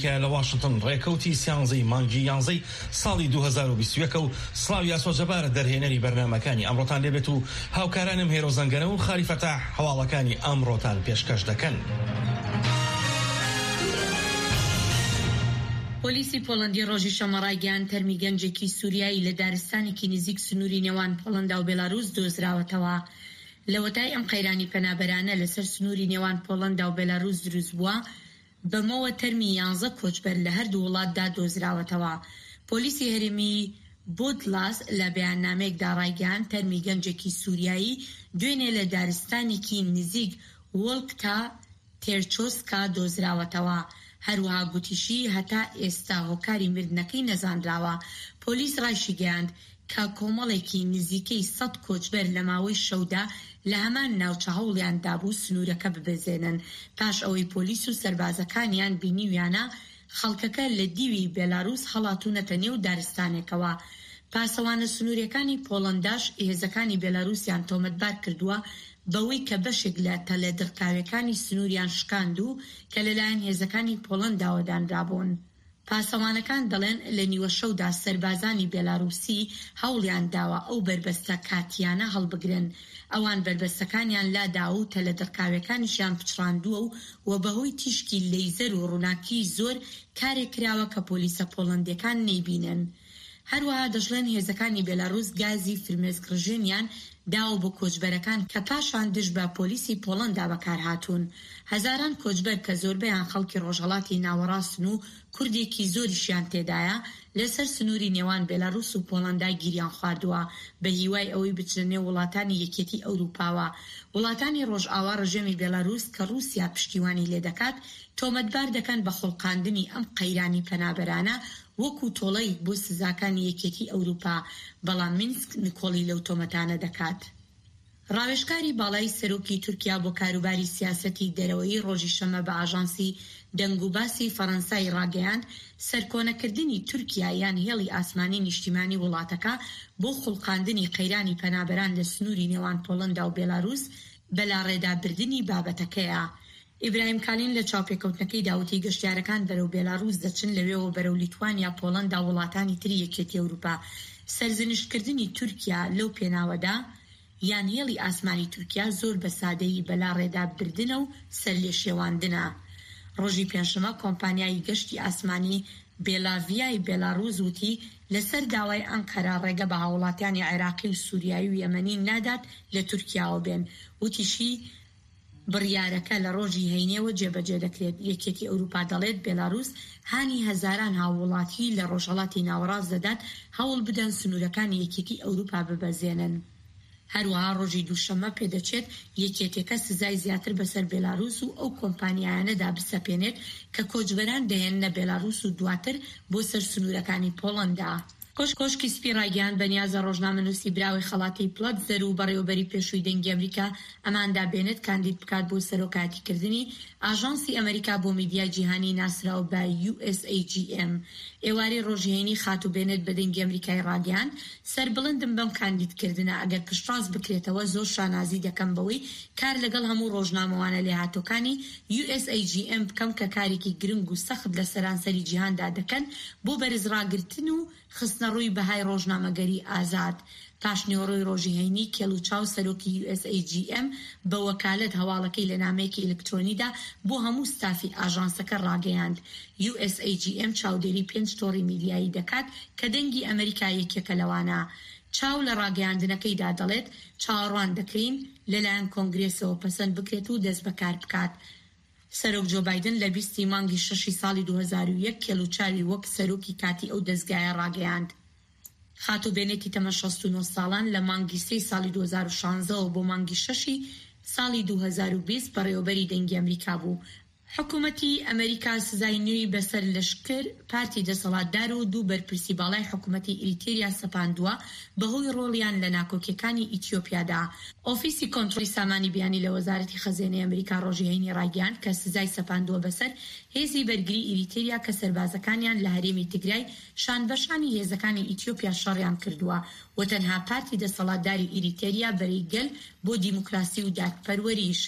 کە لە واشنتن ڕێکەوتی سیانزەی مانگی یانزەی ساڵی 2021 و سڵاوی ئاسۆ جەبار دەرهێنەری بەرنامەکانی ئەمڕۆتان لێبێت و هاوکارانم هێرۆ زەنگەنە و خاری فەتاح هەواڵەکانی ئەمڕۆتان پێشکەش دەکەن. پۆلیسی پۆڵەندی ڕۆژی شەممە ڕایگەیاند، تەرمی گەنجێکی سوریایی لە دارستانێکی نزیک سنووری نێوان پۆڵەندا و بێلاروس دۆزراوەتەوە. لەوەتای ئەم قەیرانی پەنابەرانە لەسەر سنووری نێوان پۆڵەندا و بێلاروس دروستبووە، بەمەوە تەرمی یانزە کۆچبەر لە هەردوو وڵاتدا دۆزراوەتەوە. پۆلیسی هەرێمی بۆدلاس لە بەیاننامەیەکدا ڕایگەیاند، تەرمی گەنجێکی سوریایی دوێنێ لە دارستانێکی نزیک وۆلکتا تێرچۆسکا دۆزراوەتەوە. هەروەها گوتیشی، هەتا ئێستا هۆکاری مردنەکەی نەزانراوە. پۆلیس ڕایشیگەیاند، کە کۆمەڵێکی نزیکەی سەد کۆچبەر لە ماوەی شەودا لە هەمان ناوچە هەوڵیان دابوو سنوورەکە ببەزێنن، پاش ئەوەی پۆلیس و سەربازەکانیان بینیویانە خەڵکەکە لە دیوی بێلاروس هەڵاتوونەتە نێو دارستانێکەوە. پاسەوانە سنوورییەکانی پۆڵەنداش هێزەکانی بێلاروسیان تۆمەتبار کردووە بەوەی کە بەشێک لە تەلە دڕکاویەکانی سنووریان شکاند و کە لەلایەن هێزەکانی پۆڵەنداوە دانرابوون. پاسەوانەکان دەڵێن لە نیوەشەودا سەربازانی بێلاروسی هەوڵیان داوە ئەو بەربەستە کاتییانە هەڵبگرن. ئەوان بەربەستەکانیان لاداوە و تەلە دڕکاویەکانیشیان پچڕاندووە و و بەهۆی تیشکی لەیزەر و ڕووناکیی زۆر کارێک کراوە کە پۆلیسە پۆڵەندیەکان نەیبینن. هەروەها دەشڵێن هێزەکانی بێلاروس گازی فرمێسکڕژێنیان داوە بۆ کۆچبەرەکان کە پاشان دژ بە پۆلیسی پۆڵەندا بەکارهاتوون. هەزاران کۆچبەر کە زۆربەیان خەڵکی ڕۆژهەڵاتی ناوەڕاستن و کوردێکی زۆریشیان تێدایە، لەسەر سنووری نێوان بێلاروس و پۆڵەندا گیریان خواردووە بە هیوای ئەوەی بچنە نێو وڵاتانی یەکێتی ئەوروپاوە. وڵاتانی ڕۆژئاوا ڕژێمی بێلاروس کە ڕووسیا پشتیوانی لێدەکات تۆمەتبار دەکەن بە خوڵقاندنی ئەم قەیرانی پەنابەرانە وەکو تۆڵەیەک بۆ سزاکانی یەکێتی ئەوروپا، بەڵام مینسک نکۆڵی لەو تۆمەتانە دەکات. ڕاوێژکاری باڵای سەرۆکی تورکیا بۆ کاروباری سیاسەتی دەرەوەیی ڕۆژی شەممە بە ئاژانسی دەنگوباسی فەڕەنسای ڕاگەیاند، سەرکۆنەکردنی تورکیا یان هێڵی ئاسمانی نیشتیمانی وڵاتەکە بۆ خوڵقاندنی قەیرانی پەنابەران لە سنووری نێوان پۆڵەندا و بێلاروس بەلاڕێدابردنی بابەتەکەیە. ئیبراهیم کالین لە چاوپێکەوتنەکەیدا وتی، گەشتیارەکان بەرەو بێلاروس دەچن، لەوێوە بەرەو لیتوانیا، پۆڵەندا و وڵاتانی تری یەکێتی ئەوروپا. سەرزنشتکردنی تورکیا لەو پێناوەدا، یان هێڵی ئاسمانی تورکیا زۆر بە سادەیی بەلاڕێدا بردنە و سەرلێشێواندنە. ڕۆژی پێنجشەممە کۆمپانیای گەشتی ئاسمانی بێلاڤیای بێلاروس وتی، لەسەر داوای ئەنقەرە ڕێگە بە هاووڵاتیانی عێراقی و سوریایی و یەمەنی نادات لە تورکیاوە بێن. وتیشی، بڕیارەکە لە ڕۆژی هەینیەوە جێبەجێ دەکرێت. یەکێتی ئەوروپا دەڵێت بێلاروس هانی هەزاران هاووڵاتیی لە ڕۆژهەڵاتی ناوەڕاست دەدات هەوڵ بدەن سنوورەکانی یەکێتی ئەوروپا ببەزێنن. هەروەها ڕۆژی دووشەممە پێدەچێت یەکێتیەکە سزای زیاتر بەسەر بێلاروس و ئەو کۆمپانیایانەدا بسەپێنێت کە کۆچبەران دەهێننە بێلاروس و دواتر بۆ سەر سنوورەکانی پۆڵەندا. کۆشکی سپی ڕایگەیاند، بەنیازە ڕۆژنامەنووسی براوەی خەڵاتی پڵەتزەر و بەڕێوەبەری پێشووی دەنگی ئەمریکا ئەماندا بێنێت کاندید بکات بۆ سەرۆکایەتیکردنی ئاژانسی ئەمریکا بۆ میدیای جیهانی ناسراو بە USAGM. ئێوارەی ڕۆژی هەینی خاتوو بێنێت بە دەنگی ئەمریکای ڕاگەیاند، سەربڵندم بەم کاندیدکردنە، ئەگەر پشتڕاست بکرێتەوە زۆر شانازی دەکەم بەوەی کار لەگەڵ هەموو ڕۆژنامەوانە لێهاتووەکانی USAGM بکەم کە کارێکی گرنگ و سەخت لە سەرانسەری جیهاندا دەکەن بۆ بەرزڕاگرتن و خستنەڕووی بەهای ڕۆژنامەگەری ئازاد. پاشنیوەڕۆی ڕۆژی هەینی، کێڵ و چاو سەرۆکی USAGM بە وەکالەت هەواڵەکەی لە نامەیەکی ئەلکترۆنیدا بۆ هەموو ستافی ئاژانسەکە ڕاگەیاند. USAGM چاودێری پێنج تۆڕی میدیایی دەکات کە دەنگی ئەمریکا یەکێکە لەوانە. چاو لە ڕاگەیاندنەکەیدا دەڵێت، چاوەڕوان دەکەین لەلایەن کۆنگرێسەوە پەسەند بکرێت و دەستبەکار بکات. سەرۆک جۆ بایدن لە 20 ی مانگی شەشی ساڵی 2001 کێڵ و چاوی وەک سەرۆکی کاتی ئەو دەزگایە ڕاگەیاند. خاتوو بێنێتی تەمەن 69 ساڵان لە مانگی سێی ساڵی 2016 ەوە بۆ مانگی شەشی ساڵی 2020 بەڕێوەبەری دەنگی ئەمریکا بوو. حکومەتی ئەمریکا سزای نوێی بەسەر لەشکر، پارتی دەسەڵاتدار و دوو بەرپرسی باڵای حکومەتی ئیریتێریا سەپاندووە بەهۆی ڕۆڵیان لە ناکۆکیەکانی ئیتیۆپیادا. ئۆفیسی کۆنترۆڵی سامانی بیانی لە وەزارەتی خەزێنەی ئەمریکا ڕۆژی هەینی ڕایگەیاند کە سزای سەپاندووە بەسەر هێزی بەرگری ئیریتێریا کە سەربازەکانیان لە هەرێمی تگرای شانبەشانی هێزەکانی ئیتیۆپیا شەڕیان کردووە و تەنها پارتی دەسەڵاتداری ئیریتێریا بەرەی گەل بۆ دیموکراسی و دادپەروەریش.